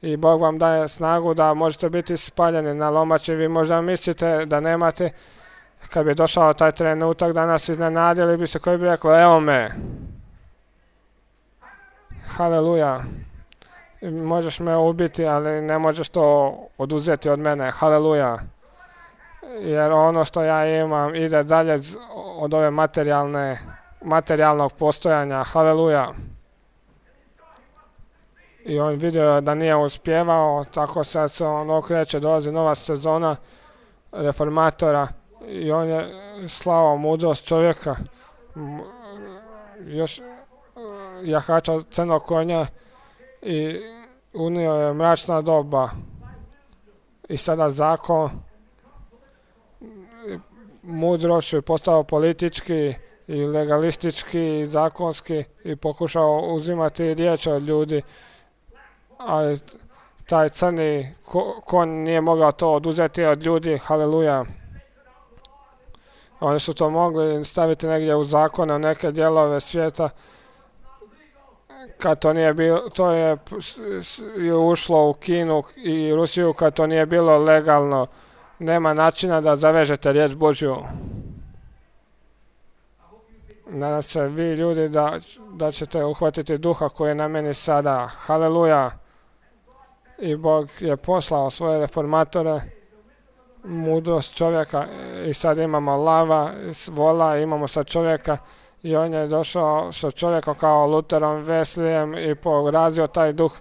i Bog vam daje snagu da možete biti spaljeni na lomači. Vi možda mislite da nemate. Kad bi došao taj trenutak da nas iznenadili bi se, koji bi rekli, evo me. Haleluja. Možeš me ubiti, ali ne možeš to oduzeti od mene. Haleluja. Jer ono što ja imam ide dalje od ove materijalne, materijalnog postojanja. Haleluja. I on vidio da nije uspjevao, tako sad se on okreće, dolazi nova sezona reformatora. I on je slao mudrost čovjeka, još jahača crnog konja i unio je mračna doba i sada zakon mudrošću je postao politički i legalistički i zakonski i pokušao uzimati riječ od ljudi, ali taj crni konj nije mogao to oduzeti od ljudi. Haleluja. Oni su to mogli staviti negdje u zakone, u neke dijelove svijeta. Kad to nije bilo, to je ušlo u Kinu i Rusiju kad to nije bilo legalno. Nema načina da zavežete riječ Božju. Nadam se vi ljudi da, da ćete uhvatiti duha koji je na meni sada. Haleluja. I Bog je poslao svoje reformatore, mudrost čovjeka i sad imamo lava, vola, imamo sad čovjeka i on je došao sa čovjekom kao Luterom, Weslejem i porazio taj duh.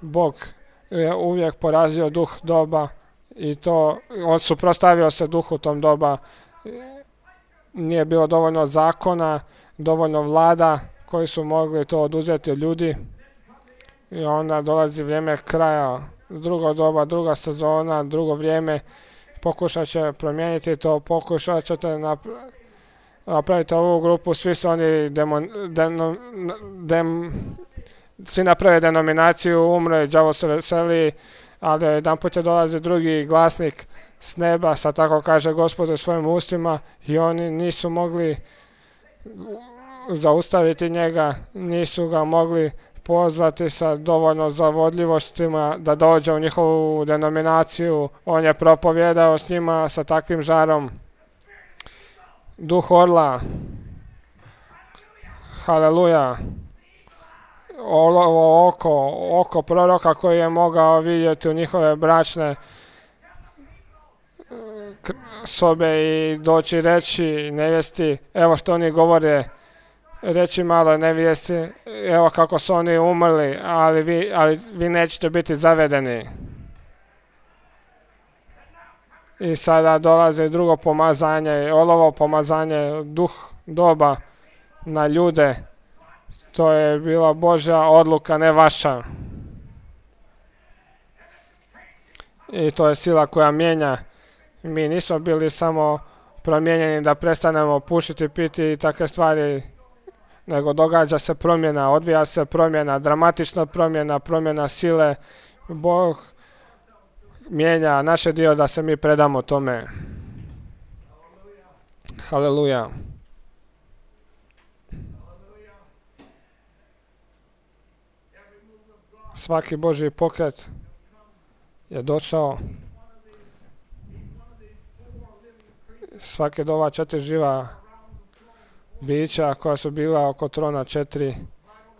Bog je uvijek porazio duh doba i to, on suprotstavio se duhu tom doba. Nije bilo dovoljno zakona, dovoljno vlada koji su mogli to oduzeti od ljudi. I onda dolazi vrijeme kraja, drugo doba, druga sezona, drugo vrijeme. Pokušat će promijeniti to, pokušat ćete napraviti ovu grupu, svi su oni demon, deno, dem, svi naprave denominaciju, umre, đavo se veseli, ali jedan put je dolazi drugi glasnik s neba, sad tako kaže Gospod u svojim ustima i oni nisu mogli zaustaviti njega, nisu ga mogli pozvati sa dovoljno zavodljivostima da dođe u njihovu denominaciju. On je propovjedao s njima sa takvim žarom. Duh orla. Haleluja. Ovo oko, oko proroka koji je mogao vidjeti u njihove bračne sobe i doći reći nevjesti, evo što oni govore, reći malo nevjesti, evo kako su oni umrli, ali vi, ali vi nećete biti zavedeni. I sada dolazi drugo pomazanje, olovo pomazanje, duh doba na ljude. To je bila Božja odluka, ne vaša. I to je sila koja mijenja. Mi nismo bili samo promijenjeni da prestanemo pušiti, piti i takve stvari, nego događa se promjena, odvija se promjena, dramatična promjena, promjena sile. Bog mijenja naše dio da se mi predamo tome. Haleluja. Svaki Božji pokret je došao. Svake dova četiri živa bića koja su bila oko trona, četiri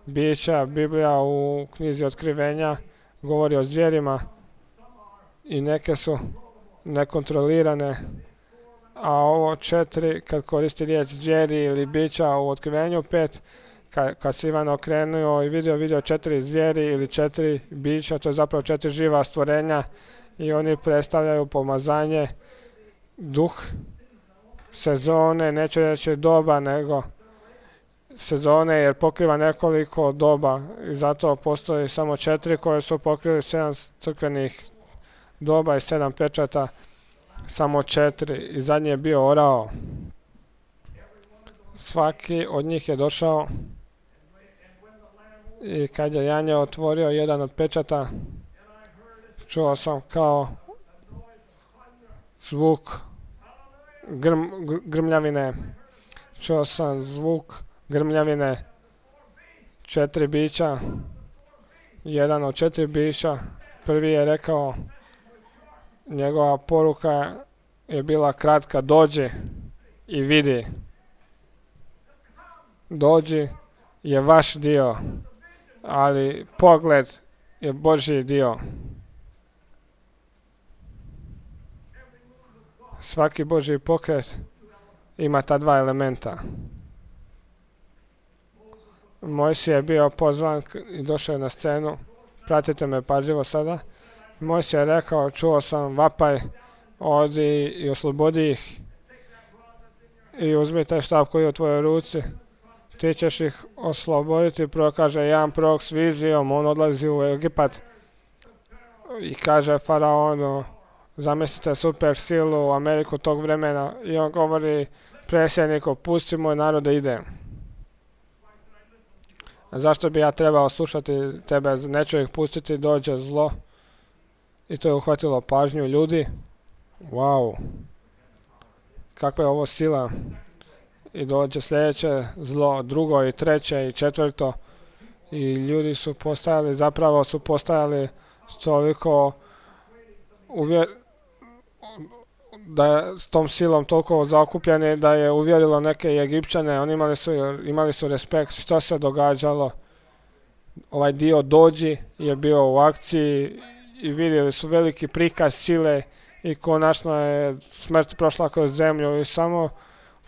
bića. Biblija u knjizi Otkrivenja govori o zvjerima i neke su nekontrolirane, a ovo četiri, kad koristi riječ zvjeri ili bića u Otkrivenju pet, kad, kad se Ivan okrenuo i vidio, vidio četiri zvjeri ili četiri bića, to je zapravo četiri živa stvorenja i oni predstavljaju pomazanje, duh, sezone, neću reći doba, nego sezone jer pokriva nekoliko doba i zato postoji samo četiri koje su pokrili sedam crkvenih doba i sedam pečata, samo četiri i zadnji je bio orao. Svaki od njih je došao i kad je Janje otvorio jedan od pečata, čuo sam kao zvuk grm, grmljavine, čuo sam zvuk grmljavine, četiri bića, jedan od četiri bića, prvi je rekao, njegova poruka je bila kratka, dođi i vidi. Dođi je vaš dio, ali pogled je Božji dio. Svaki Božji pokret ima ta dva elementa. Mojsije je bio pozvan i došao je na scenu. Pratite me pažljivo sada. Mojsije je rekao, čuo sam vapaj, odi i oslobodi ih. I uzmi taj štab koji je u tvojoj ruci. ti ćeš ih osloboditi. Prvo kaže jedan prorok s vizijom, on odlazi u Egipat i kaže faraonu, zamislite super silu u Ameriku tog vremena, i on govori predsjedniku, pusti moj narod da ide. Zašto bi ja trebao slušati tebe, neću ih pustiti, dođe zlo. I to je uhvatilo pažnju ljudi. Wow, kakva je ovo sila. I dođe sljedeće zlo, drugo i treće i četvrto. I ljudi su postajali, zapravo su postajali toliko uvjer... da je s tom silom toliko zaokupljeni da je uvjerilo neke Egipćane. Oni imali su, imali su respekt što se događalo. Ovaj dio dođi je bio u akciji i vidjeli su veliki prikaz sile i konačno je smrt prošla kroz zemlju i samo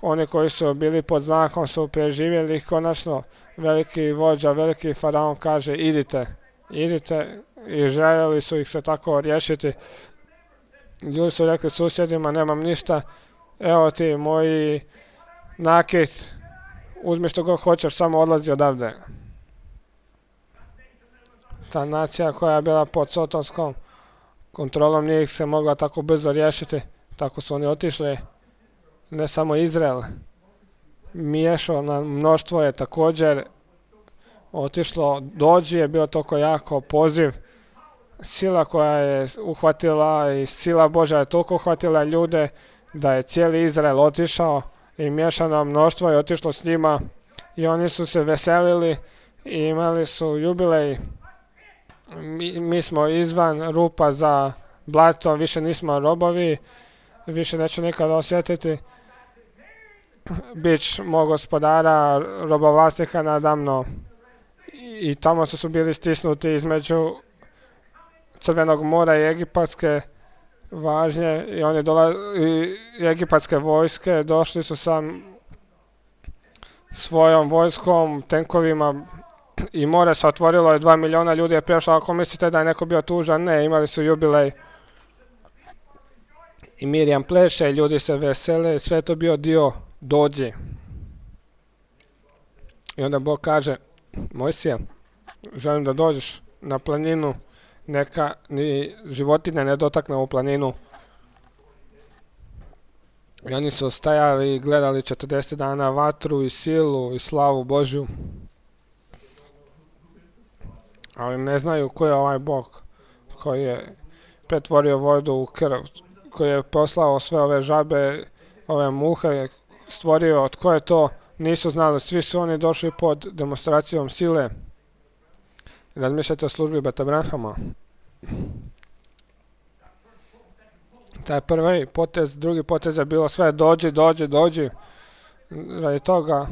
oni koji su bili pod znakom su preživjeli. Konačno veliki vođa, veliki faraon kaže idite, idite, i željeli su ih se tako riješiti. Ljudi su rekli susjedima, nemam ništa, evo ti moji nakit, uzmi što god hoćeš, samo odlazi odavde. Ta nacija koja je bila pod sotonskom kontrolom nije ih se mogla tako brzo riješiti, tako su oni otišli. Ne samo Izrael, miješao na mnoštvo je također otišlo, dođi je bio toliko jako poziv. Sila koja je uhvatila i sila Božja je toliko uhvatila ljude da je cijeli Izrael otišao i miješano mnoštvo je otišlo s njima i oni su se veselili i imali su jubilej. Mi, mi smo izvan rupa za blato, više nismo robovi, više neću nikada osjetiti bić mog gospodara, robovlasnika nadamno. I, i tamo su, su bili stisnuti između Crvenog mora i egipatske važnje i oni dola, i egipatske vojske došli su sa svojom vojskom, tenkovima i more se otvorilo i dva miliona ljudi je prešlo. Ako mislite da je neko bio tužan, ne, imali su jubilej. I Mirjam pleše i ljudi se vesele, sve je to bio dio dođi. I onda Bog kaže, Mojsije, želim da dođeš na planinu, neka ni životinja ne dotakne u planinu. I oni su stajali i gledali četrdeset dana vatru i silu i slavu Božju. Ali ne znaju ko je ovaj Bog koji je pretvorio vodu u krv, koji je poslao sve ove žabe, ove muhe, stvorio, tko je to, nisu znali, svi su oni došli pod demonstracijom sile. Razmišljajte o službi Beta Branhama. Taj prvi potez, drugi potez je bilo sve dođi, dođi, dođi. Radi toga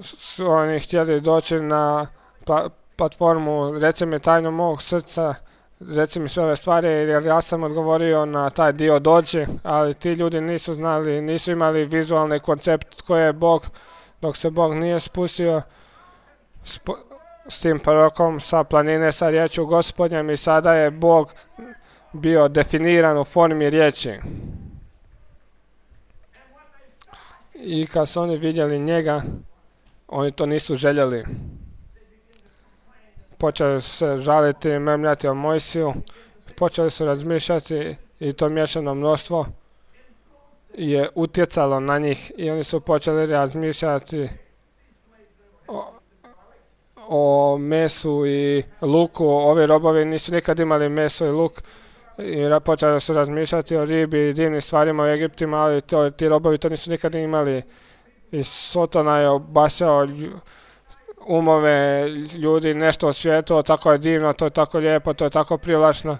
su oni htjeli doći na pa, platformu, reci mi tajnu mog srca, reci mi sve ove stvari, jer ja sam odgovorio na taj dio dođi, ali ti ljudi nisu znali, nisu imali vizualni koncept tko je Bog, dok se Bog nije spustio sp s tim prorokom sa planine sa riječju Gospodnjem i sada je Bog bio definiran u formi riječi. I kad su oni vidjeli njega, oni to nisu željeli. Počeli su se žaliti i memljati o Mojsiju, počeli su razmišljati i to miješano mnoštvo je utjecalo na njih i oni su počeli razmišljati o, o mesu i luku. Ovi robovi nisu nikad imali meso i luk i počeli su razmišljati o ribi i divnim stvarima u Egiptima, ali to, ti robovi to nisu nikad imali. I Sotona je obasjao umove ljudi, nešto o svijetu, tako je divno, to je tako lijepo, to je tako privlačno.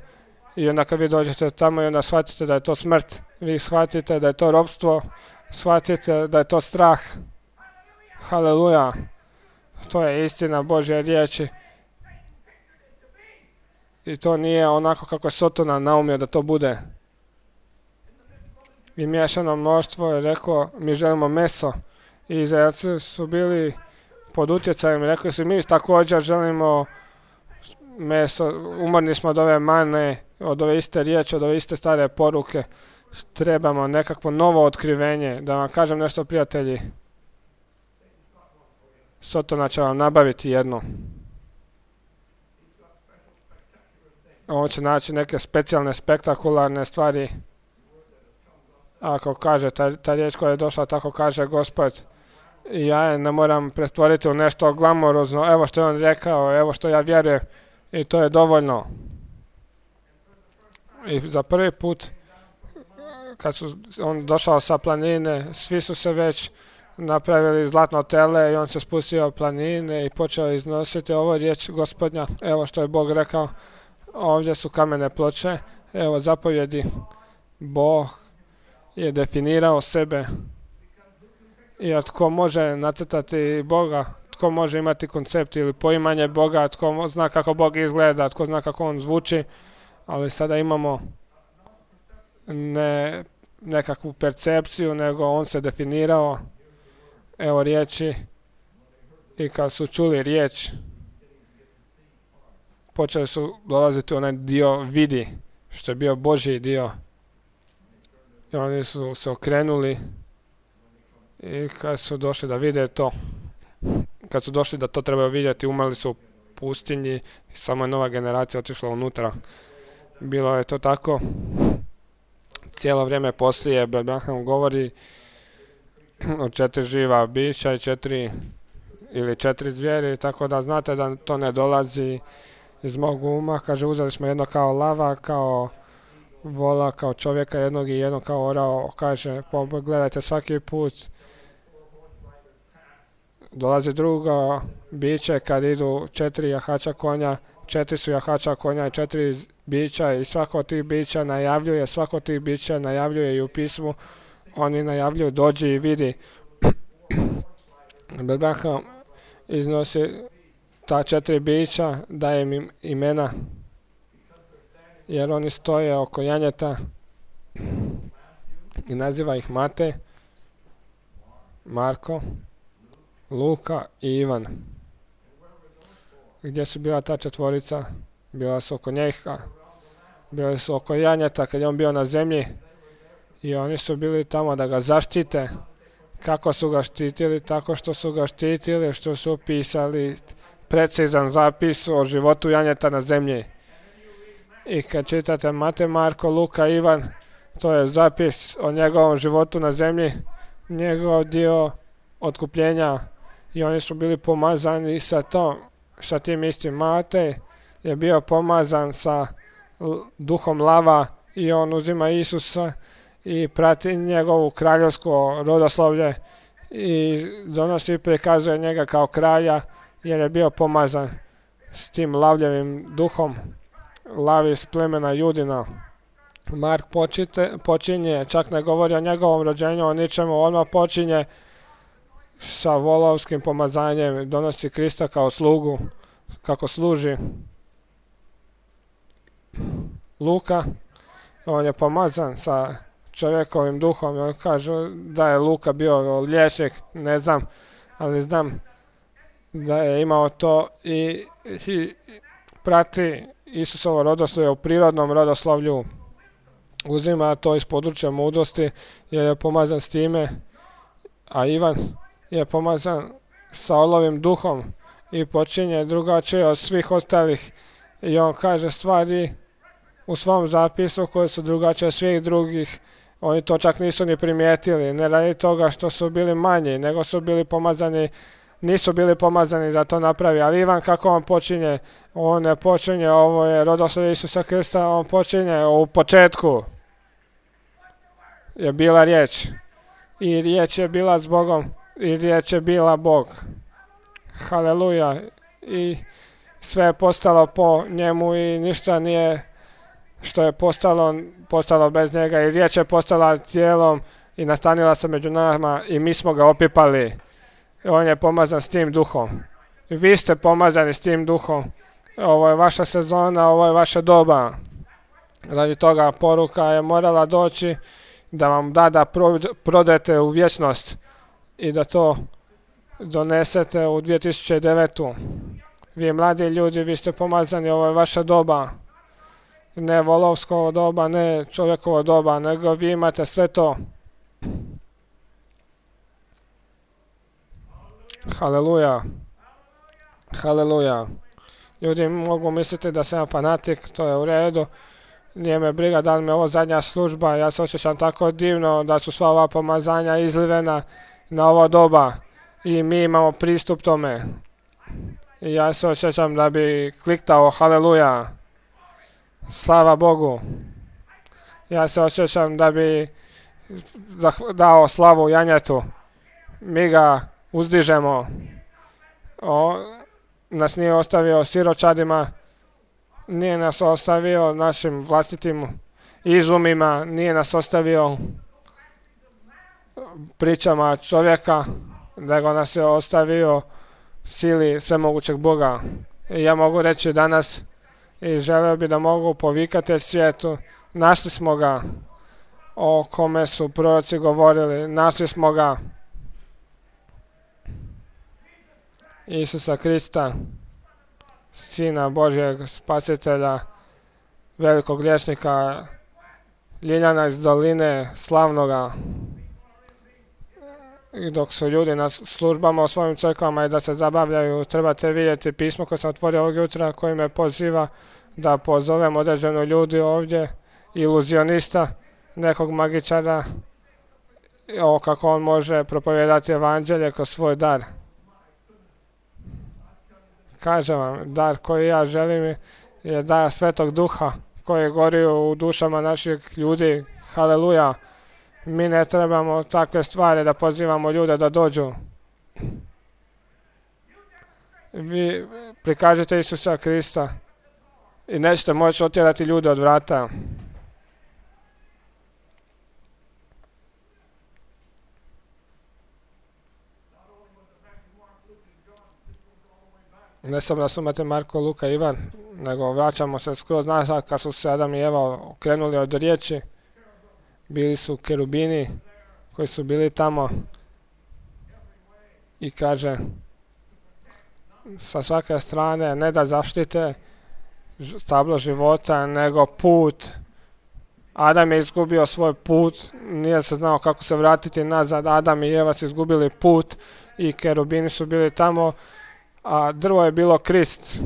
I onda kad vi dođete tamo i onda shvatite da je to smrt, vi shvatite da je to ropstvo, shvatite da je to strah. Haleluja. To je istina Božje riječi. I to nije onako kako je Sotona naumio da to bude. I miješano mnoštvo je reklo, mi želimo meso. I Izraelci su bili pod utjecajem, rekli su mi također želimo meso, umorni smo od ove mane, od ove iste riječi, od ove iste stare poruke. Trebamo nekakvo novo otkrivenje. Da vam kažem nešto, prijatelji. Sotona će vam nabaviti jedno. On će naći neke specijalne, spektakularne stvari. Ako kaže, ta, ta riječ koja je došla, tako kaže Gospod, ja je ne moram pretvoriti u nešto glamorozno, evo što je on rekao, evo što ja vjerujem, i to je dovoljno. I za prvi put, kad su on došao sa planine, svi su se već napravili zlatno tele i on se spustio planine i počeo iznositi ovo riječ Gospodnja, evo što je Bog rekao, ovdje su kamene ploče, evo zapovjedi, Bog je definirao sebe. I tko može nacrtati Boga, tko može imati koncept ili poimanje Boga, tko zna kako Bog izgleda, tko zna kako on zvuči, ali sada imamo ne nekakvu percepciju, nego on se definirao, evo riječi, i kad su čuli riječ, počeli su dolaziti u onaj dio vidi, što je bio Božji dio. I oni su se okrenuli i kad su došli da vide to, kad su došli da to trebaju vidjeti, umrli su u pustinji i samo je nova generacija otišla unutra. Bilo je to tako. Cijelo vrijeme poslije Abraham govori o četiri živa bića i četiri ili četiri zvijeri, tako da znate da to ne dolazi iz mog uma. Kaže, uzeli smo jedno kao lava, kao vola, kao čovjeka jednog i jedno kao orao. Kaže, pogledajte svaki put dolazi drugo biće kad idu četiri jahača konja, četiri su jahača konja i četiri bića i svako od tih bića najavljuje, svako od tih bića najavljuje i u pismu oni najavljuju dođi i vidi. Abraham iznosi ta četiri bića, daje im imena, jer oni stoje oko janjeta i naziva ih Matej, Marko, Luka i Ivan. Gdje su bila ta četvorica? Bila su oko njega, bili su oko janjeta kad je on bio na zemlji i oni su bili tamo da ga zaštite. Kako su ga štitili? Tako što su ga štitili, što su pisali precizan zapis o životu janjeta na zemlji. I kad čitate Matej, Marko, Luka, Ivan, to je zapis o njegovom životu na zemlji, njegov dio otkupljenja, i oni su bili pomazani sa to, sa tim istim. Matej je bio pomazan sa duhom lava i on uzima Isusa i prati njegovu kraljevsko rodoslovlje i donosi i prikazuje njega kao kralja, jer je bio pomazan s tim lavljevim duhom, lavi iz plemena Judina. Mark počite, počinje, čak ne govori o njegovom rođenju, o ničemu, odmah počinje sa volovskim pomazanjem, donosi Krista kao slugu, kako služi. Luka, on je pomazan sa čovjekovim duhom i on kaže da je Luka bio liječnik, ne znam, ali znam da je imao to i, i prati Isusovo rodoslovlje u prirodnom rodoslovlju. Uzima to iz područja mudrosti jer je pomazan s time, a Ivan je pomazan sa olovim duhom i počinje drugačije od svih ostalih i on kaže stvari u svom zapisu koje su drugačije od svih drugih. Oni to čak nisu ni primijetili, ne radi toga što su bili manji, nego su bili pomazani, nisu bili pomazani da to napravi. Ali Ivan, kako on počinje? On ne počinje, ovo je rodoslovlje Isusa Krista, on počinje u početku je bila riječ i riječ je bila s Bogom i riječ je bila Bog. Haleluja. I sve je postalo po njemu i ništa nije što je postalo, postalo bez njega, i riječ je postala tijelom i nastanila se među nama i mi smo ga opipali. I on je pomazan s tim duhom. I vi ste pomazani s tim duhom. Ovo je vaša sezona, ovo je vaša doba. Radi toga poruka je morala doći da vam da da prodete u vječnost i da to donesete u dvije tisuće devetu. Vi mladi ljudi, vi ste pomazani, ovo je vaša doba. Ne volovsko doba, ne čovjekovo doba, nego vi imate sve to. Haleluja. Haleluja. Ljudi mogu misliti da sam fanatik, to je u redu. Nije me briga da li mi je ovo zadnja služba, ja se osjećam tako divno da su sva ova pomazanja izlivena na ovo doba i mi imamo pristup tome. I ja se osjećam da bi kliktao haleluja, slava Bogu. Ja se osjećam da bi dao slavu janjetu. Mi ga uzdižemo. O, nas nije ostavio siročadima, nije nas ostavio našim vlastitim izumima, nije nas ostavio pričama čovjeka, nego nas je ostavio sili svemogućeg Boga. I ja mogu reći danas i želeo bi da mogu povikati svijetu, našli smo ga, o kome su proroci govorili, našli smo ga, Isusa Krista, Sina Božjeg Spasitelja, velikog liječnika, Ljiljana iz doline, slavnoga. I dok su ljudi na službama u svojim crkvama i da se zabavljaju, trebate vidjeti pismo koje sam otvorio ovog jutra, koji me poziva da pozovem određenu ljudi ovdje, iluzionista, nekog magičara, o kako on može propovijedati evanđelje kroz svoj dar. Kažem vam, dar koji ja želim je dar Svetog Duha koji gori u dušama naših ljudi. Haleluja. Mi ne trebamo takve stvari da pozivamo ljude da dođu. Vi prikažete Isusa Krista i nećete moći otjerati ljude od vrata. Ne samo da su imate Marko, Luka i Ivan, nego vraćamo se skroz nazad kad su se Adam i Eva okrenuli od riječi. Bili su kerubini koji su bili tamo i kaže sa svake strane ne da zaštite stablo života, nego put. Adam je izgubio svoj put, nije se znao kako se vratiti nazad. Adam i Eva su izgubili put i kerubini su bili tamo, a drvo je bilo Krist.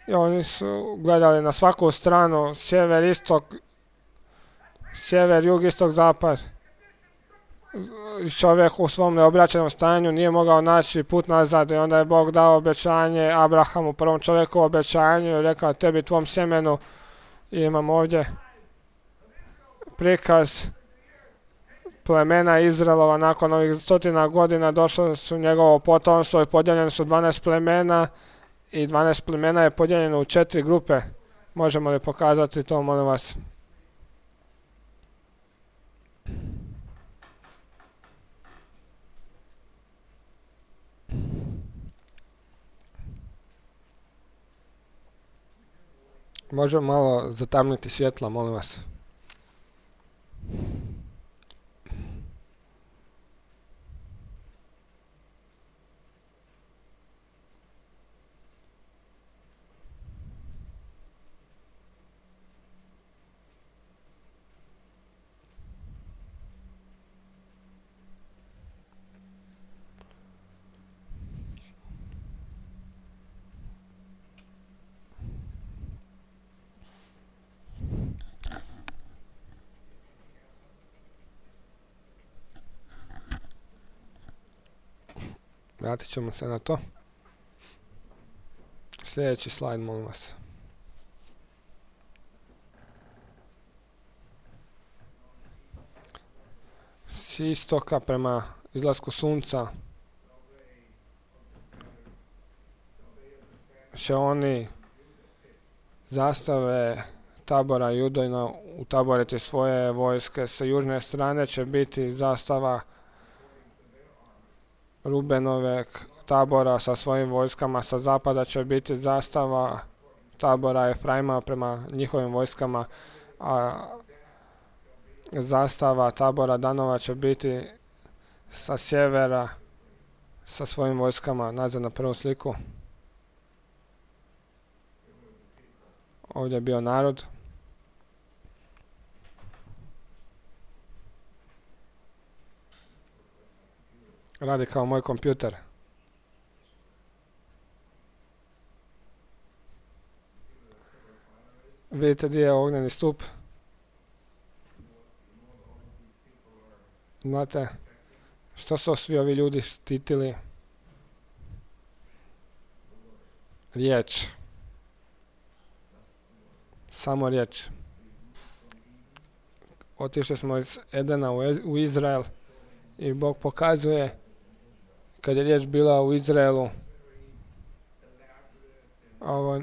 I oni su gledali na svaku stranu, sjever, istok, sjever, jug, istok, zapad. Čovjek u svom neobraćenom stanju nije mogao naći put nazad i onda je Bog dao obećanje Abrahamu, prvom čovjeku obećanju, i rekao tebi, tvom sjemenu. I imamo ovdje prikaz plemena Izraelova. Nakon ovih stotina godina došlo su njegovo potomstvo i podijeljeno su dvanaest plemena i dvanaest plemena je podijeljeno u četiri grupe. Možemo li pokazati to, molim vas? Možemo malo zatamniti svjetla, molim vas. Vratit ćemo se na to. Sljedeći slajd, molim vas. S istoka prema izlasku sunca će oni zastave tabora Judojna utaboriti svoje vojske. Sa južne strane će biti zastava Rubenove tabora sa svojim vojskama, sa zapada će biti zastava tabora Efraima prema njihovim vojskama, a zastava tabora Danova će biti sa sjevera sa svojim vojskama. Nazad na prvu sliku. Ovdje je bio narod. Radi kao moj kompjuter. Vidite gdje je ognjeni stup? Znate, što su svi ovi ljudi štitili? Riječ. Samo riječ. Otišli smo iz Edena u Izrael i Bog pokazuje, kad je riječ bila u Izraelu, ovo